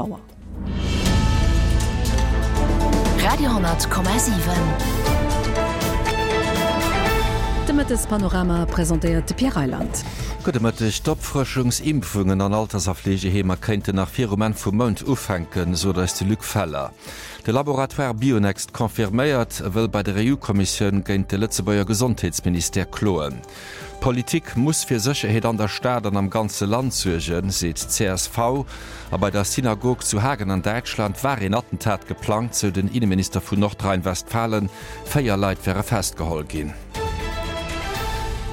Auer. Radio,7. De Mëttespanorama presentéiert de Pierre Reyland. Gudde Mëtteg. D'Opfrëschungsimpfungen an Alters a Fleegeheemer kéinten nach virum Enn vum Mount ufänken, sot eis de Luc Feller. De Laboratoire Bionext confirméiert, e wëll bei der EU-Kommissioun géint de Lëtzebuerger Gesondheetsministère kloen. D'Politik muss fir Sécherheet an der Stad an am ganze Land suergen, seet d'CSV. A bei der Synagog zu Hagen an Däitschland war een Attentat geplangt, sou den Inneminister vun Nordrhein-Westfalen. 4 Leit wäre festgeholl ginn.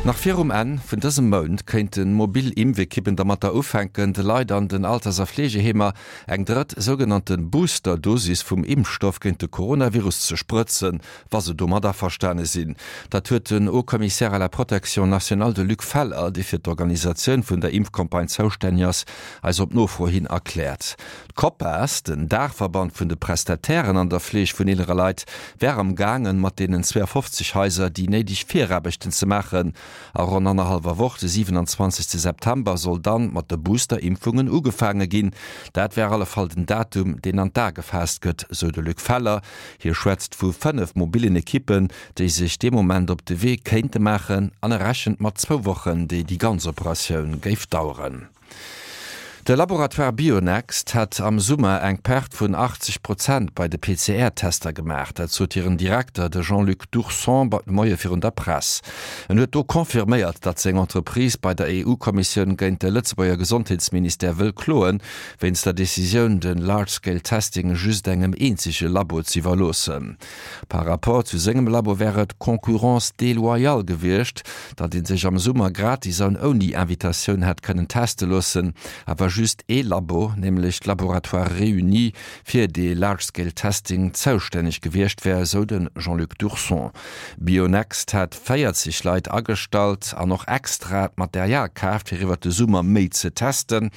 Nach virum Enn vun dësem Mount kéinte mobil Impfekippen dermatter ufänken, de Leit an den Alters a Fleegeheemer eng drëtt sougenannte Booster-Dosis vum Impfstoff géint de Coronavirus ze sprëtzen, wa se domat averstane sinn. Dat huet den Haut Commissaire à la protection nationale, de Luc Feller, dee fir d'Organisatioun vun der Impfcampagne zoustänneg ass, eis op Nofro hin erkläert. D'Copas, den Daachverband vun de Prestatairen an der Fleeg vun eelere Leit, wär am gaangen, mat deenen 52 Haiser déi néideg Viraarbechten ze maachen. A ronn annerhallwer Woch, de 27 September, soll dann mat de Booster-Impfungen ugefaange ginn. Dat wär alle Fall den Datum, deen an d'A gefaasst gëtt, sou de Luc Feller. Hie schwätzt vu 5 mobillen Ekippen, déi sech dee Moment op de Wee kéinte maachen an e rechent mat zwou Wochen, déi déi ganz Operatioun géif daueren. De Laboratoire Bionext hätt am Summer eng Perte vun 80 Prozent bei de PCR-Tester gemaach. Dat sot hiren Direkter, de Jean-Luc Dourson, de Moie virun der Press. En huet do confirméiert, datt seng Entreprise bei der EU-Kommissioun géint de Lëtzebuerger Gesondheetsministère wëll kloen, wéinst der Decisioun, de Large Scale Testing just engem eenzege Labo z'iwwerloossen. Par rapport zu sengem Labo wär et Concurrence déloyale gewiescht, datt ee sech am Summer gratis an ouni Invitatioun hätt kënnen teste loossen, awer just ee Labo, nämlech d'Laboratoires Réunis, fir dee Large Scale Testing zoustänneg gewiescht wär, esou de Jean-Luc Dourson. Bionext hätt 40 Leit agestallt an och extra d'Material kaaft, fir iwwert de Summer méi ze testen.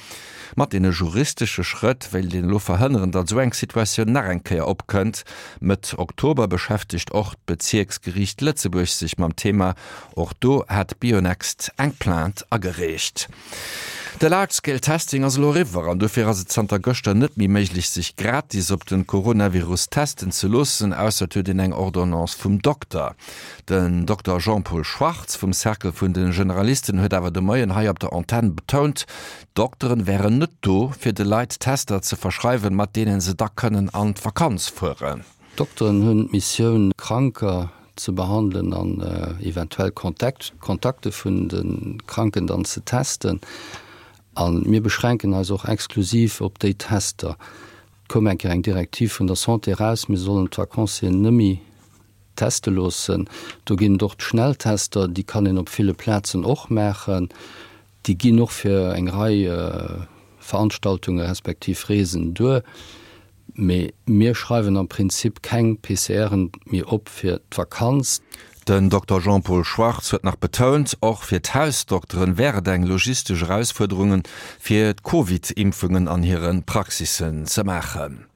Mat deene juristesche Schrëtt wéilt een elo verhënneren, datt esou eng Situatioun nach eng Kéier opkënnt. Mëtt Oktober beschäftegt och d'Bezierksgeriicht Lëtzebuerg sech mam Thema. Och do hat Bionext eng Plainte agereecht. De Large Scale Testing ass elo eriwwer an dofir ass et zanter gëschter net méi méiglech sech gratis op de Coronavirus testen ze loossen, ausser et huet een eng Ordonnance vum Dokter. Den Dokter Jean-Paul Schwartz vum Cercle vun de Generalisten huet awer de Moien hei op der Antenn betount, d'Dokteren wären net do, fir de Leit Tester ze verschreiwen, mat deene se da kënnen an d'Vakanz fueren. D'Dokteren hunn d'Missioun, Kranker ze behandelen an eventuell Kontakte vun de Kranken dann ze testen. A mir beschränken eis och exklusiv op déi Tester. Et koum eng Kéier eng Direktiv vun der Santé eraus, mir sollen d'Vacancieren nëmme Teste loossen. Do ginn et och d'Schnelltester, déi kann een op ville Plazen och maachen. Déi ginn och fir eng Rei Veranstaltunge respektiv Reesen duer. Mee mir schreiwen am Prinzip keng PCRen méi op fir d'Vakanz. Den Dokter Jean-Paul Schwartz huet nach betount, och fir d'Hausdokteren wär et eng logistesch Erausfuerderungen, fir d'Covid-Impfungen an hire Praxissen ze maachen.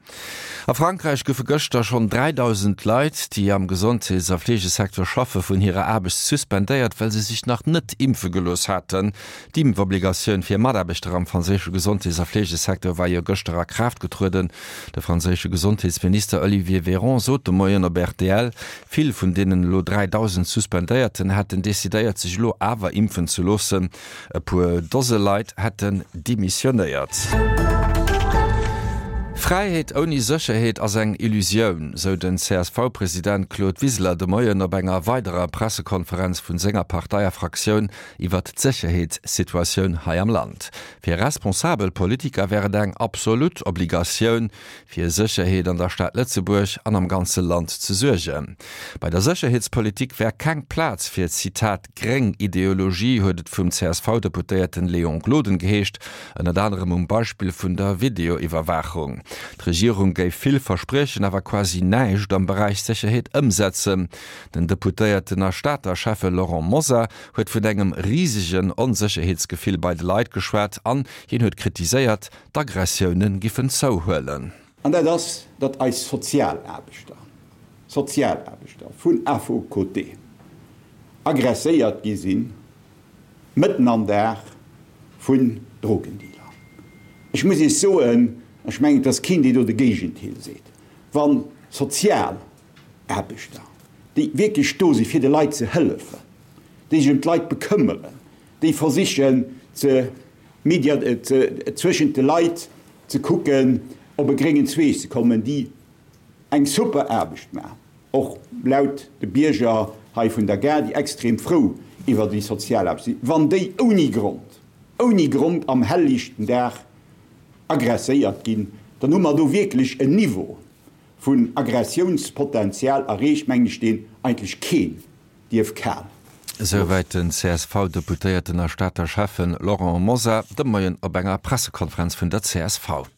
A Frankräich goufe gëschter schonn 3.000 Leit, déi am Gesondheets a Fleegesecteur schaffe vun hirer Aarbecht suspendéiert, well se sech nach net impfe gelooss haten. D'Impfobligatioun fir Mataarbechter am franséische Gesondheets a Fleegesecteur war jo gëschter a Kraaft getrueden. De franséische Gesondheetsminister Olivier Véran sot de Moien op rtl, vill vun deenen elo 3.000 Suspendéierten hätten decidéiert, sech elo awer impfen ze loossen. E puer Dose Leit hätten demissionéiert. Fräiheet ouni Sécherheet ass eng Illusioun, sou den CSV-President Claude Wiseler de Moien op enger weiderer Pressekonferenz vun senger Partei a Fraktioun iwwert d'Sécherheetssituatioun hei am Land. Fir responsabel Politiker wär et eng absolut Obligatioun, fir Sécherheet an der Stad Lëtzebuerg an am ganze Land ze suergen. Bei der Sécherheetspolitik wär keng Plaz fir, Zitat, gréng Ideologie, huet et vum CSV-Deputéierten Léon Gloden geheescht, ënnert anerem um Beispill vun der Videoiwwerwaachung. D'Regierung géif vill verspriechen, awer quasi näischt am Beräich Sécherheet ëmsetzen. Den Deputéierten a Stater Schäffe Laurent Mosar huet vun engem risegen Onsécherheetsgefill bei de Leit geschwat an hien huet kritiséiert, D'Aggressioune giffen zouhuelen. An dat ass, datt eis Sozialaarbechter, Sozialaarbechter vun AFOCT aggresséiert gi sinn, mëtten am Dag, vun Drogendealer. Ech muss Iech soen, Ech mengen, et ass keen, deen do de Géigendeel seet, wa Sozialaarbechter, déi wierklech do si fir de Leit ze hëllefen, déi sech ëm d'Leit bekëmmeren, déi versichen ze zwëschent de Leit ze kucken, op e gréngen Zweeg ze kommen, déi eng super Aarbecht maachen, och laut de Bierger hei vun der Gare, déi extrem frou iwwer déi Sozialaarbecht sinn, wann déi ouni Grond, ouni Grond am hellliichten Dag agresséiert ginn, dann hu mer do wierklech en Niveau vun Aggressiounspotenzial erreecht, mengen ech, deen eigentlech keen dierf kal Esouwäit den CSV-Deputéierten a Stater Schäffen Laurent Mosar de Moien op enger Pressekonferenz vun der csv.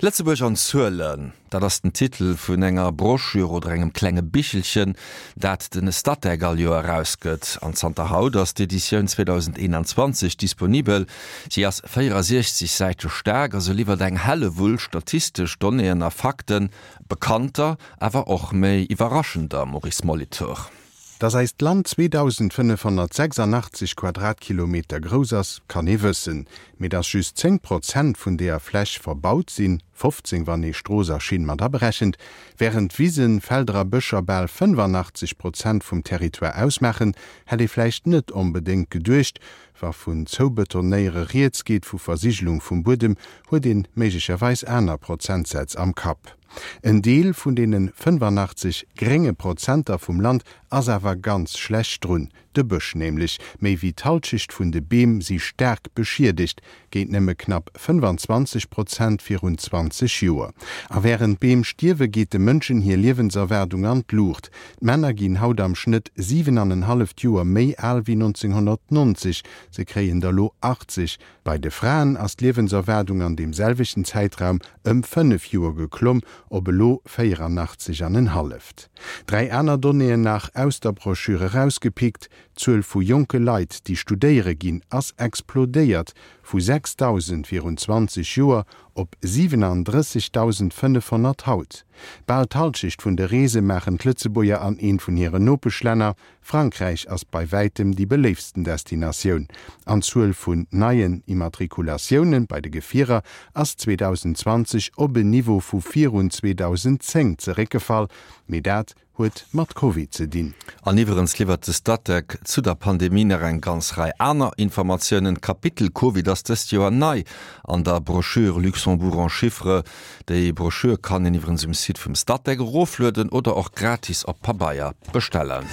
Lëtzebuerg an Zuelen, dat ass den Titel vun enger Broschür oder engem klenge Bichelchen, dat de Statec all Joer erausgëtt. An zanter haut ass d'Editioun 2021 disponibel. Si ass 64 Säite staark a se liwwert eng Hellewull statistesch Donnéeën a Fakten, bekannter, awer och méi iwwerraschender, Maurice Molitor. Dass eist Land 2.586 Quadratkilometer grouss ass, kann ee wëssen. Mee dass just 10 Prozent vun deeër Fläch verbaut sinn, 15 wann ee Strooss a Schinn mat aberechent, wärend Wisen, Felder a Bëscher bal 85 Prozent vum Territoire ausmaachen, hätt ee vläicht net onbedéngt geduecht. Wa vun Zoubetonéiere rieds geet, vu Versigelung vum Buedem, huet een méiglecherweis aner Prozentsätz am Kapp. En Deel vun deene 85 grénge Prozenter vum Land ass awer ganz schlecht drun, de Bësch nämlech. Méi wéi d'Halschecht vun de Beem si staark beschiedegt, géint nëmme knapp 25 Prozent virun 20 Joer. A wärend d'Beem stierwe geet de Mënschen hir Liewenserwaardung an d'Luucht. D'Männer ginn haut am Schnëtt 7 an en halleft Joer méi al wéi 1990, se kréien der lo 80. Bei de Fraen ass d'Liewenserwaardung an deem selwechten Zäitraum ëm 5 Joer geklomm, op elo 84 an en halleft. Dräi aner Donnéeën nach aus der Broschür erausgepickt, D'Zuel vu jonke Leit, déi studéiere ginn, ass explodéiert, vu 6.000 virun 20 Joer op 37.500 haut. Bal d'Halschecht vun de Reese maachen d'Lëtzebuerger an eent vun hiren Nopeschlänner, Frankräich ass bei wäitem déi beléiftsten Destinatioun an d'Zuel vun neien Immatrikulatioune bei de Gefierer ass 2020 op en Niveau vu virun 2010 zeréckgefall, mee dat huet mat Covid ze dinn. An iwwerens liwwert de Statec zu der Pandemie nach eng ganz Rei aner Informatiounen. D'Kapitel Covid ass dëst Joer nei an der Broschür Luxembourg en chiffres. Déi Broschür kann een iwwerens um Site vum Statec eroflueden oder och gratis op Pabeier bestellen.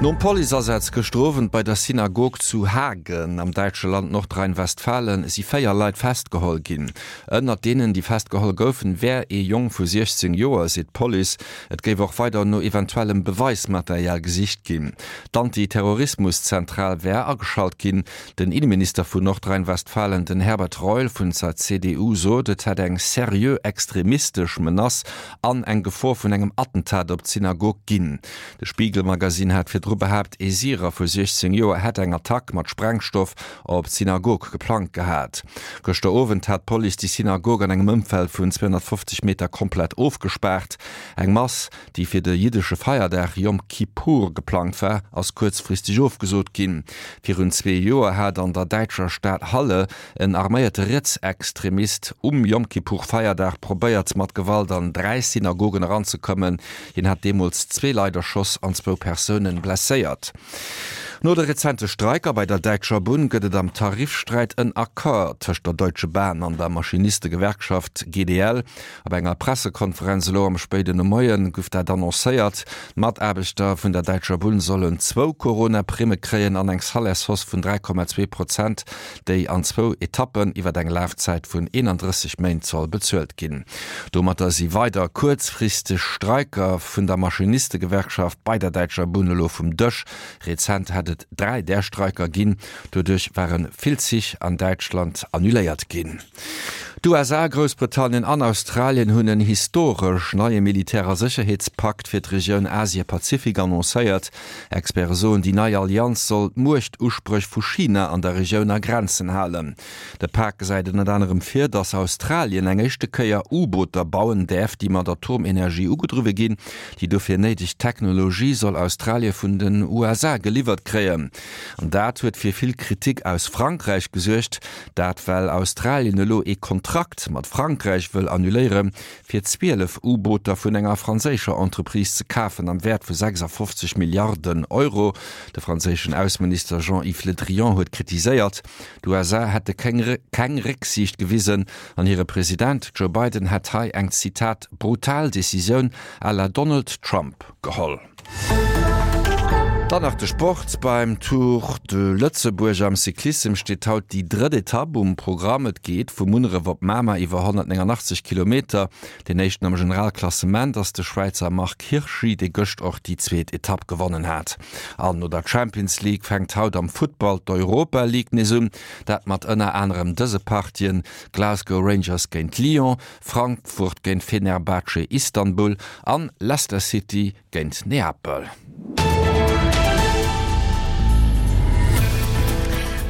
Nom Policeasaz gëschter Owend bei der Synagog zu Hagen am däitsche Land Nordrhein-Westfalen si 4 Leit festgeholl ginn. Ënnert deenen, déi festgeholl goufen, wär ee Jong vu 16 Joer, seet d'Police. Et géif och weider no eventuellem Beweismaterial gesicht ginn. D'Anti-Terrorismus-Zentral wär ageschalt ginn. Den Inneminister vun Nordrhein-Westfalen, den Herbert Reul vun zer CDU, sot, et hätt eng seriö extremistesch Menace an eng Gefor vun engem Attentat op d'Synagog ginn. De Spiegel-Magasinn hat virdru behaapt, ee Syrer vu 16 Joer hätt eng Attack mat Sprengstoff op d'Synagog geplangt gehat. Gëschter Owend hat d'Police déi Synagog an engem Ëmfeld vun 250 Meter komplett ofgespaart. Eng Mass, déi fir de jiddesche Feierdag Yom Kippur geplangt war, ass kuerzfristeg ofgesot ginn. Virun zwee Joer hat an der däitscher Stad Halle en arméierte Rietsextremist um Yom Kippur-Feierdag probéiert, mat Gewalt an dräi Synagogen eranzekommen. Hien hat deemools zwee Leit erschoss an zwou Persoune blesséiert. No de rezente Streiker bei der Däitscher Bunn gëtt et am Tarifsträit en Accord tëscht der Deutsche Bahn an der Maschinistegewerkschaft GDL. Op enger Pressekonferenz elo am spéiden Nomoie guff dat annoncéiert. D'Mataarbechter vun der Däitscher Bunn sollen zwou Corona-Primme kréien an eng Salairshausse vun 3,2 Prozent, déi an zwou Etappen iwwer eng Lafzäit vun 31 Méint soll bezuelt ginn. Domatter si weider kuerzfristeg Streiker vun der Maschinistegewerkschaft bei der Däitscher Bunn elo vum Dësch. Rezent hätt et dräi där Streiker ginn. Doduerch ware vill Zich an Däitschland annuléiert ginn. D'USA, Groussbritannien an Australien hunn en historesch neie Militär a Sécherheetspakt fir d'Regioun Asie-Pazifik annoncéiert. Experte soen, déi nei Allianz soll d'Muechtuspréch vu China an der Regioun a Grenzen halen. De Pak gesäit ënnert anerem vir, datt Australien eng éischte Kéier U-Booter bauen däerf, déi mat Atomenergie ugedriwwe ginn. Déi dofir néideg Technologie soll Australie vun den USA geliwwert kréien. An dat huet fir vill Kritik aus Frankräich gesuergt. Dat well Australien elo ee Kontrakt. Kontrakt mat Frankräich wëll annuléiere fir 12 U-Booter vun enger franséischer Entreprise ze kafen am Wäert vu 56 Milliarden Euro. De franséischen Ausseminister Jean-Yves Le Drian huet kritiséiert, d'USA hätte keng Récksiicht gewisen an hire President Joe Biden hätt hei eng, Zitat, brutal Decisioun à la Donald Trump geholl. Dann nach de Sport, Beim Tour de Lëtzebuerg am Cyclissem steet haut déi drëtt Etapp um Programm. Et geet vu Munneref op Mamer iwwer 189 Kilometer. Deen éischten am Generalklassement ass de Schwäizer Marc Hirschi, dee gëscht och déi zweet Etapp gewonnen hat. An no der Champions League fänkt haut am Futtball d'Europa League nees un. Dat mat ënner anerem dëse Partien, Glasgow Rangers géint Lyon, Frankfurt géint Fenerbahce Istanbul an Leicester City géint Neapel.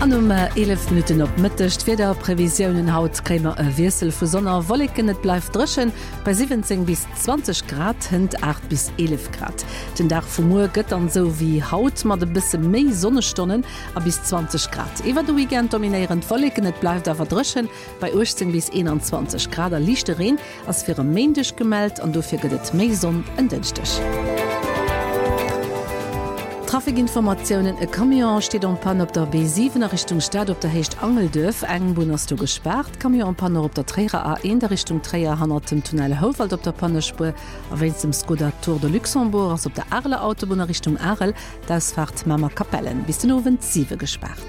An um 11 Minutten op Mëtteg d'Wiederprevisiounen, Haut kréie mer e Wiessel vu Sonn a Wolleken, et bleift dréchen bei 17 bis 20 Grad, hënt 8 bis 11 Grad. Den Dag vu muer gëtt dann esou wéi haut mat e bësse méi Sonnestonnen a bis 20 Grad. Iwwer de Weekend dominéieren d'Wolleken, et bleift awer dréchen bei 18 bis 21 Grad a liichte Reen Ass fir e Méindeg gemellt an dofir gëtt et méi Sonn en Dënschdeg. Traficinformatiounen, E Camion steet en panne op der B7 a Richtung Stad op der Héicht Angelduerf. Eng Bunn ass do gespaart. Camion en panne och op der Tréierer A1 a Richtung Tréier hannert dem Tunnel Houwald op der Pannespuer. A wéinst dem Skoda Tour de Luxembourg ass op der Areler Autobunn a Richtung Arel d'Ausfaart Mamer-Capellen bis den Owend 7 gespaart.